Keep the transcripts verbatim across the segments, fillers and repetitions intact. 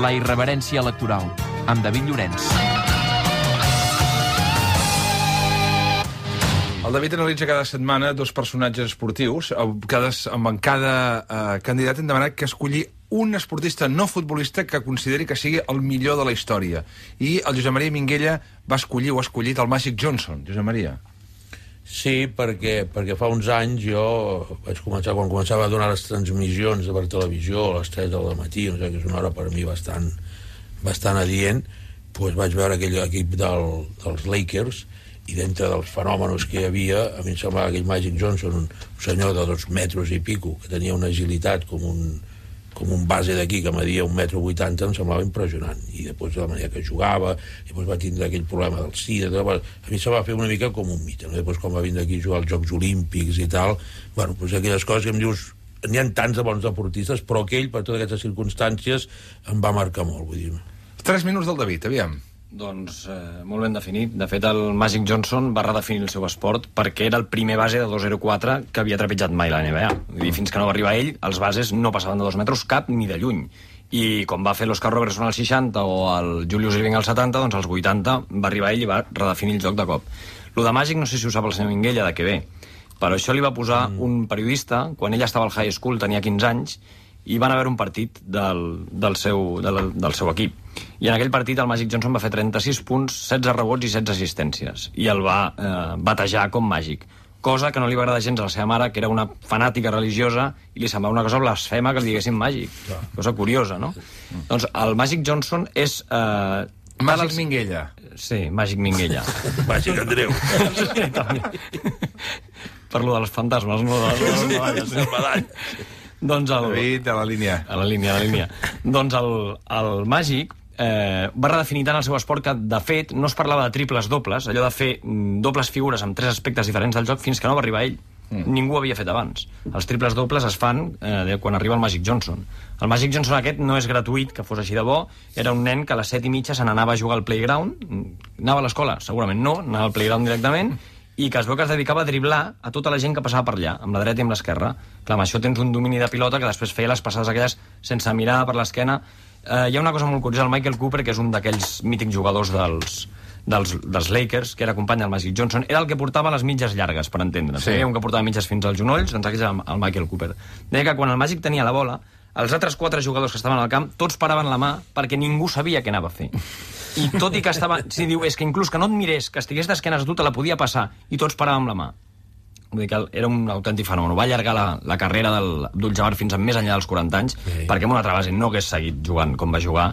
la irreverència electoral, amb David Llorenç. El David analitza cada setmana dos personatges esportius. Cada, amb cada eh, candidat hem demanat que escolli un esportista no futbolista que consideri que sigui el millor de la història. I el Josep Maria Minguella va escollir o ha escollit el Magic Johnson. Josep Maria. Sí, perquè, perquè fa uns anys jo vaig començar, quan començava a donar les transmissions per televisió a les tres del matí, no sé, que és una hora per mi bastant, bastant adient, doncs vaig veure aquell equip del, dels Lakers, i dintre dels fenòmenos que hi havia, a mi em semblava aquell Magic Johnson, un senyor de dos metres i pico, que tenia una agilitat com un, com un base d'aquí que media un metro vuitanta, em semblava impressionant. I després de la manera que jugava, i després va tindre aquell problema del SIDA, a mi se va fer una mica com un mite, no? Després quan va vindre aquí a jugar als Jocs Olímpics i tal, bueno, doncs aquelles coses que em dius, n'hi ha tants de bons deportistes, però aquell, per totes aquestes circumstàncies, em va marcar molt, vull dir. Tres minuts del David, aviam. Doncs eh, molt ben definit. De fet, el Magic Johnson va redefinir el seu esport perquè era el primer base de dos zero quatre que havia trepitjat mai la N B A. Vull dir, fins que no va arribar ell, els bases no passaven de dos metres cap ni de lluny. I com va fer l'Oscar Robertson als seixanta o el Julius Erving als setanta, doncs als vuitanta va arribar ell i va redefinir el joc de cop. Lo de Magic no sé si ho sap el senyor Minguella de què ve, però això li va posar mm. un periodista, quan ell estava al high school, tenia quinze anys, i van haver un partit del, del, seu, del, del seu equip. I en aquell partit el Magic Johnson va fer trenta-sis punts, setze rebots i setze assistències. I el va eh, batejar com màgic. Cosa que no li va agradar gens a la seva mare, que era una fanàtica religiosa, i li semblava una cosa blasfema que li diguessin màgic. Clar. Cosa curiosa, no? Mm. Doncs el Magic Johnson és... Eh, Màgic els... Minguella. Sí, Màgic Minguella. Màgic Andreu. Sí, també. Per lo dels fantasmes, no? De les medalles. Les medalles. Doncs el... David, a la línia. A la línia, a la línia. Doncs el, el Màgic eh, va redefinir tant el seu esport que, de fet, no es parlava de triples dobles, allò de fer dobles figures amb tres aspectes diferents del joc, fins que no va arribar ell. Mm. Ningú havia fet abans. Els triples dobles es fan eh, quan arriba el Magic Johnson. El Magic Johnson aquest no és gratuït, que fos així de bo. Era un nen que a les set i mitja se n'anava a jugar al playground. Anava a l'escola? Segurament no. Anava al playground directament. I que es veu que es dedicava a driblar a tota la gent que passava per allà, amb la dreta i amb l'esquerra. Clar, amb això tens un domini de pilota que després feia les passades aquelles sense mirar per l'esquena. Eh, hi ha una cosa molt curiosa, el Michael Cooper, que és un d'aquells mítics jugadors dels, dels, dels Lakers, que era company del Magic Johnson, era el que portava les mitges llargues, per entendre'ns. Sí. Hi havia un que portava mitges fins als genolls, doncs aquest era el Michael Cooper. Deia que quan el Magic tenia la bola, els altres quatre jugadors que estaven al camp, tots paraven la mà perquè ningú sabia què anava a fer. I tot i que estava... Si diu, és que inclús que no et mirés, que estigués d'esquenes a tu, te la podia passar, i tots paràvem la mà. Vull dir que era un autèntic fenomen. Va allargar la, la carrera del Abdul-Jabbar fins a més enllà dels quaranta anys, sí. Perquè amb una altra base no hagués seguit jugant com va jugar.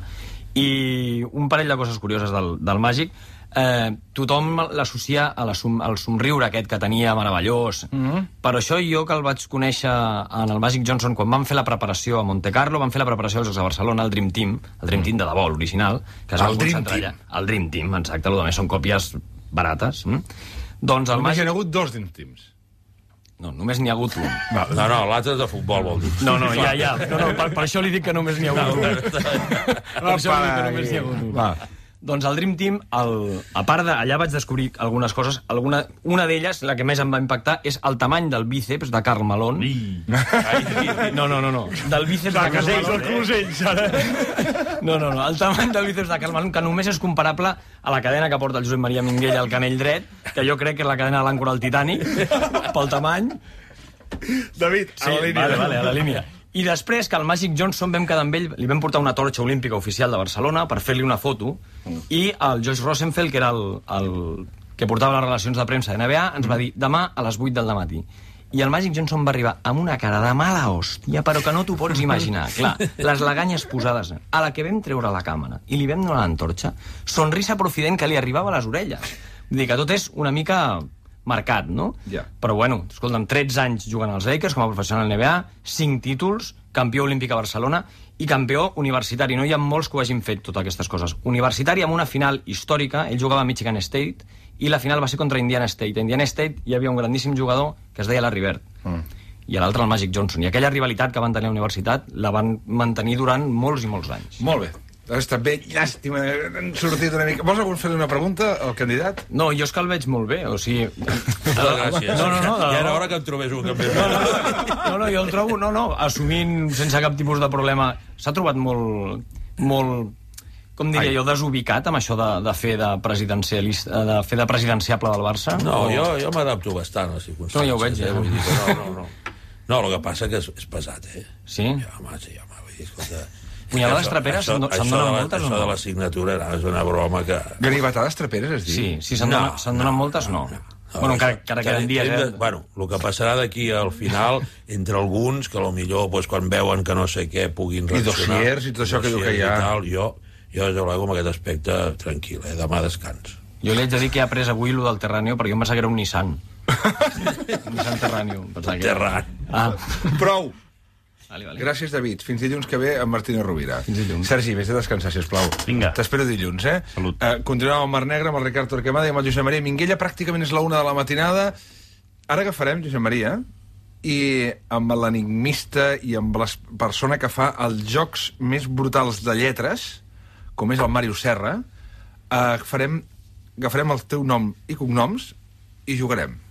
I un parell de coses curioses del, del Màgic. Eh, tothom l'associa a la som, al somriure aquest que tenia meravellós. Mm-hmm. Per això jo, que el vaig conèixer en el Magic Johnson, quan van fer la preparació a Monte Carlo, van fer la preparació als Jocs de Barcelona, el Dream Team, el Dream Team de debò, l'original, que es va concentrar allà. El Dream Team, exacte, el més són còpies barates. Mm? Doncs el Només Magic... hi ha hagut dos Dream Teams. No, només n'hi ha hagut un. No, no, no l'altre és de futbol, vol dir. No, no, ja, ja. No, no, per, per això li dic que només n'hi ha hagut un. Per això li dic que només n'hi ha hagut un. Va. Doncs el Dream Team, el, a part de... Allà vaig descobrir algunes coses. Alguna, una d'elles, la que més em va impactar, és el tamany del bíceps de Karl Malone. No, no, no, no. Del bíceps de Karl Malone. De Closells, ara. No, no, no. El tamany del bíceps de Karl Malone, que només és comparable a la cadena que porta el Josep Maria Minguella al canell dret, que jo crec que és la cadena de l'àncora al Titanic, pel tamany. David, a Sí, la línia. vale, vale, a la línia. I després que el Magic Johnson vam quedar amb ell, li vam portar una torxa olímpica oficial de Barcelona per fer-li una foto, mm. i el Josh Rosenfeld, que era el, el que portava les relacions de premsa de N B A, ens va dir demà a les vuit del matí. I el Magic Johnson va arribar amb una cara de mala hòstia, però que no t'ho pots imaginar. Clar, les laganyes posades a la que vam treure la càmera i li vam donar l'antorxa, sonrisa profident que li arribava a les orelles. Vull dir que tot és una mica... marcat, no? Yeah. Però bueno, escolta'm, tretze anys jugant als Lakers com a professional N B A, cinc títols, campió olímpic a Barcelona i campió universitari. No hi ha molts que ho hagin fet, totes aquestes coses. Universitari amb una final històrica, ell jugava a Michigan State, i la final va ser contra Indiana State. A Indiana State hi havia un grandíssim jugador que es deia Larry Bird, mm. i l'altre el Magic Johnson. I aquella rivalitat que van tenir a la universitat la van mantenir durant molts i molts anys. Molt bé. Està bé, llàstima, han sortit una mica... Vols algun fer una pregunta al candidat? No, jo és que el veig molt bé, o sigui... No, gràcies. No, no, no. Ja era hora que em trobés un canvi. No, no, no, no, jo el trobo, no, no, assumint sense cap tipus de problema. S'ha trobat molt... molt, com diria jo, desubicat amb això de, de fer de presidencialista, de fer de presidenciable del Barça? No, o... jo, jo m'adapto bastant a les circumstàncies. No, ja ho veig, eh? ja. Vull dir que no, no, no. No, el que passa que és, és pesat, eh? Sí? Ja, home, sí, home, vull dir, escolta... Punyalades traperes se'n donen moltes o no? Això de la signatura no, és una broma que... Ganivetades traperes, es diu? Sí, sí, se'n No, donen, se donen no, moltes, no. no. no bueno, encara, encara queden dies, eh? Bueno, el que passarà d'aquí al final, entre alguns, que potser pues, quan veuen que no sé què puguin reaccionar... I dossiers i tot això que diu que hi ha. Tal, jo, jo, des de luego, amb aquest aspecte, tranquil, eh? Demà descans. Jo li haig de dir que he après avui lo del Terraneo perquè jo em pensava que era un Nissan. Un Nissan Terraneo. Terran. Ah. Prou! Vale, vale. Gràcies, David. Fins dilluns que ve amb Martino Rovira. Fins dilluns. Sergi, vés a descansar, sisplau. Vinga. T'espero dilluns, eh? Salut. Uh, continuem amb el Mar Negre, amb el Ricard Torquemada i amb el Josep Maria Minguella. Pràcticament és la una de la matinada. Ara agafarem, Josep Maria, i amb l'enigmista i amb la persona que fa els jocs més brutals de lletres, com és el Màrius Serra, uh, farem, agafarem el teu nom i cognoms i jugarem.